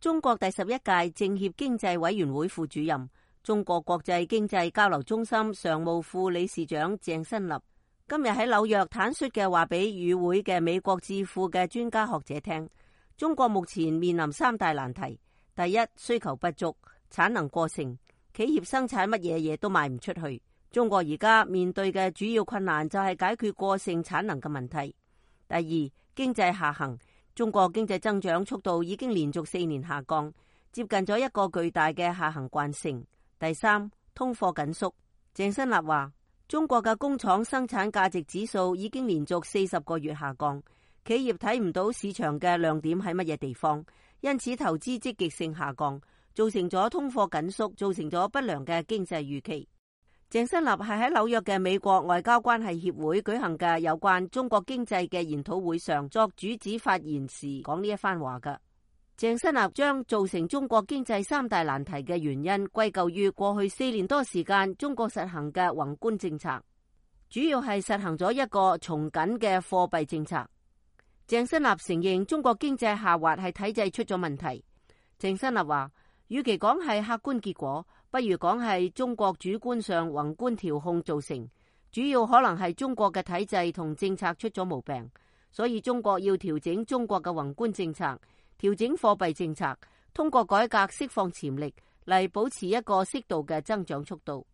中國第11屆政協經濟委員會副主任、中國國際經濟交流中心常務副理事長鄭新立今日喺紐約坦率嘅話俾與會嘅美國智庫嘅專家學者聽，中國目前面臨3大難題：第一，需求不足，產能過剩，企業生產乜嘢嘢都賣唔出去。中國而家面對嘅主要困難就係解決過剩產能嘅問題。第二，經濟下行，中國經濟增長速度已經連續4年下降，接近咗一個巨大嘅下行慣性。第三，通貨緊縮。鄭新立話，中國嘅工廠生產價值指數已經連續40個月下降，企業睇唔到市場嘅亮點喺乜嘢地方，因此投資積極性下降，造成咗通貨緊縮，造成咗不良嘅經濟預期。鄭新立係喺紐約嘅美國外交關係協會舉行嘅有關中國經濟嘅研討會上作主旨發言時講呢一番話嘅。鄭新立將造成中國經濟3大難題嘅原因歸咎於過去4年多時間中國實行嘅宏觀政策，主要係實行咗一個從緊嘅貨幣政策。鄭新立承認中國經濟下滑係體制出咗問題。鄭新立話，與其講係客觀結果，不如講係中國主觀上宏觀調控造成，主要可能係中國嘅體制同政策出咗毛病，所以中國要調整中國嘅宏觀政策，調整貨幣政策，通過改革釋放潛力嚟保持一個適度嘅增長速度。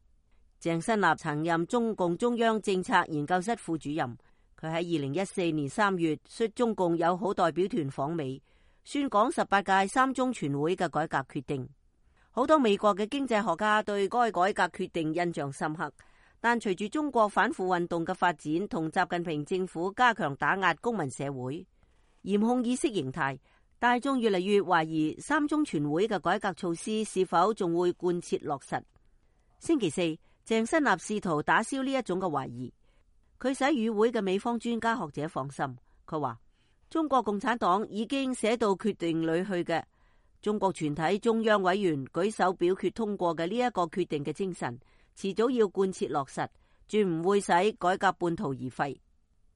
鄭新立曾任中共中央政策研究室副主任，佢喺2014年3月率中共友好代表團訪美，宣講18屆三中全會嘅改革決定。好多美國嘅經濟學家對該改革決定印象深刻，但隨住中國反腐運動嘅發展同習近平政府加強打壓公民社會、嚴控意識形態，大眾越嚟越懷疑三中全會嘅改革措施是否仲會貫徹落實。星期四，鄭新立試圖打消呢一種嘅懷疑，佢使與會嘅美方專家學者放心。佢話，中國共產黨已經寫到決定裏去嘅，中國全體中央委員舉手表決通過嘅呢一個決定嘅精神，遲早要貫徹落實，絕唔會使改革半途而廢。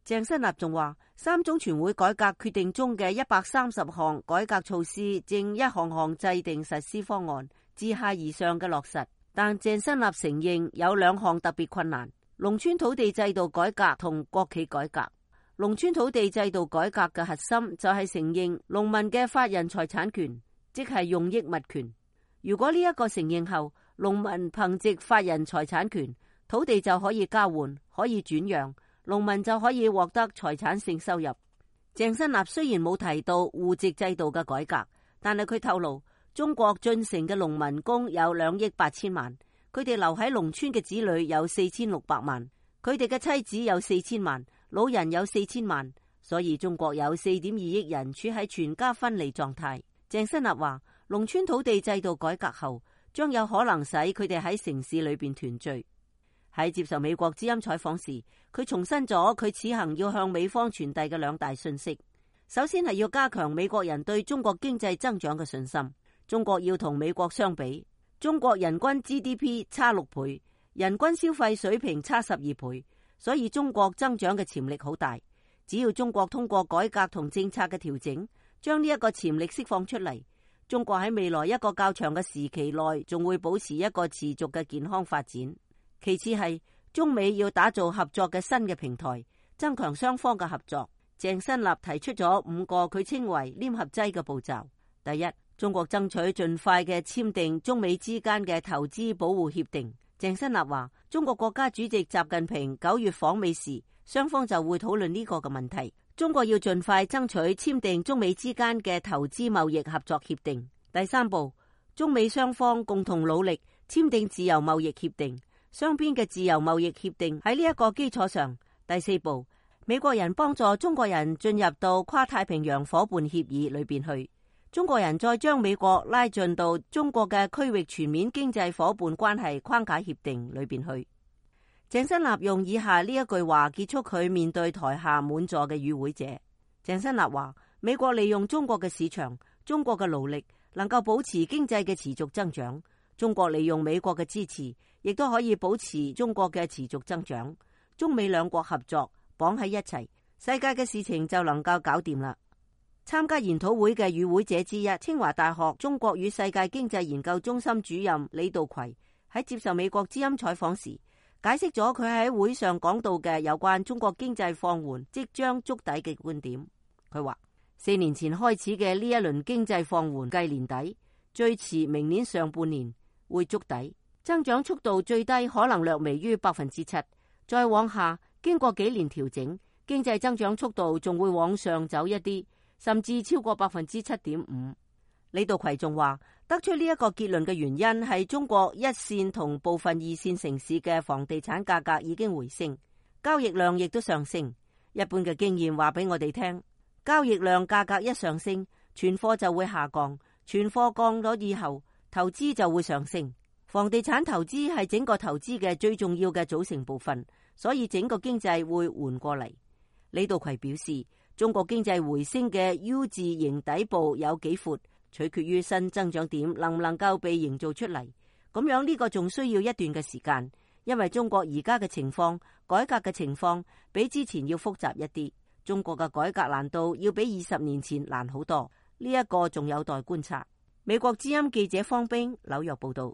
鄭新立仲話，三中全會改革決定中嘅130項改革措施，正一項項制定實施方案，自下而上嘅落實。但鄭新立承認有2項特別困難：農村土地制度改革同國企改革。農村土地制度改革嘅核心就係承認農民嘅法人財產權，即係用益物權。如果呢一個承認後，農民憑藉法人財產權，土地就可以交換，可以轉讓，農民就可以獲得財產性收入。鄭新立雖然冇提到戶籍制度嘅改革，但係佢透露，中國進城嘅農民工有2億8千萬，佢哋留喺農村嘅子女有4600萬，佢哋嘅妻子有4000萬，老人有4000萬，所以中國有4.2億人處喺全家分離狀態。鄭新立話，農村土地制度改革後，將有可能使佢哋喺城市裏邊團聚。喺接受美國之音採訪時，佢重申咗佢此行要向美方傳遞嘅2大訊息。首先係要加強美國人對中國經濟增長嘅信心。中國要同美國相比，中國人均 GDP 差6倍，人均消費水平差12倍，所以中國增長嘅潛力好大。只要中國通過改革同政策嘅調整，將呢一個潛力釋放出嚟，中國喺未來一個較長嘅時期內，仲會保持一個持續嘅健康發展。其次係中美要打造合作嘅新嘅平台，增強雙方嘅合作。鄭新立提出咗5個佢稱為黏合劑嘅步驟。第一，中國爭取盡快嘅簽訂中美之間嘅投資保護協定。鄭新立話，中國國家主席習近平9月訪美時，雙方就會討論呢個嘅問題。中國要盡快爭取簽訂中美之間嘅投資貿易合作協定。第3步，中美雙方共同努力簽訂自由貿易協定，雙邊嘅自由貿易協定喺呢一個基礎上。第4步，美國人幫助中國人進入到跨太平洋夥伴協議裏邊去，中國人再將美國拉進到中國嘅區域全面經濟夥伴關係框架協定裏邊去。鄭新立用以下呢一句話結束佢面對台下滿座嘅與會者。鄭新立話，美國利用中國嘅市場，中國嘅勞力能夠保持經濟嘅持續增長，中國利用美國嘅支持，亦都可以保持中國嘅持續增長。中美2國合作綁喺一齊，世界嘅事情就能夠搞掂啦。參加研討會嘅與會者之一，清華大學中國與世界經濟研究中心主任李道葵喺接受美國之音採訪時，解釋咗佢喺會上講到嘅有關中國經濟放緩即將觸底嘅觀點。佢話4年前開始嘅呢一輪經濟放緩，計年底最遲明年上半年會觸底，增長速度最低可能略微於7%，再往下經過幾年調整，經濟增長速度仲會往上走一啲，甚至超過7.5%。李道葵仲話，得出呢一個結論嘅原因係中國一線同部分二線城市嘅房地產價格已經回升，交易量亦都上升。一般嘅經驗話俾我哋聽，交易量價格一上升，存貨就會下降，存貨降咗以後，投資就會上升。房地產投資係整個投資嘅最重要嘅組成部分，所以整個經濟會緩過嚟。李道葵表示，中國經濟回升嘅 U 字形底部有幾闊，取決於新增長點能唔能夠被營造出嚟。咁樣呢個仲需要一段嘅時間，因為中國而家嘅情況，改革嘅情況比之前要複雜一啲。中國嘅改革難度要比20年前難好多，呢一個仲有待觀察。美國之音記者方冰紐約報道。